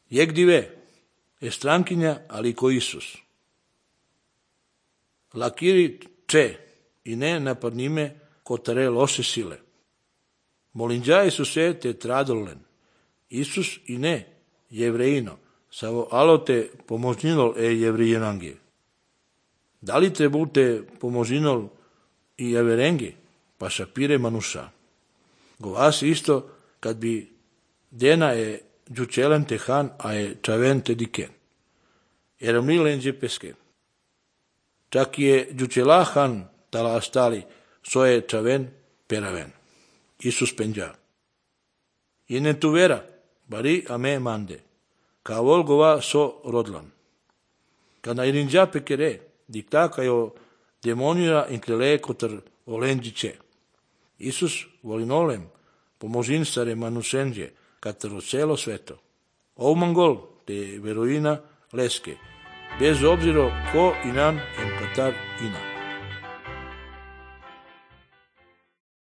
Jegdive, je strankinja, ali ko Isus. Lakiri če i ne napadnime kotare loše sile. Molinđaji su se te tradolen. Isus i ne jevrejino, savo alote pomožninol jevrijenange. Da li trebute pomožninol i jeverenge, pa šapire manuša. Govas isto kad bi dena džučelen tehan a čaven te diken. Eramnilenđe pesken. Čak je džučelahan tala astali soje čaven peraven. Isus penđa. I ne tu vera, bari ame mande. Ka volgova so rodlan. Kada irinđa pekere, diktaka jo demonira inklele kotar olenđiće. Isus volinolem pomožin stare manusenđe kataro celo sveto. Ovmangol te veroina leske, bez obzira ko inan en katar ina.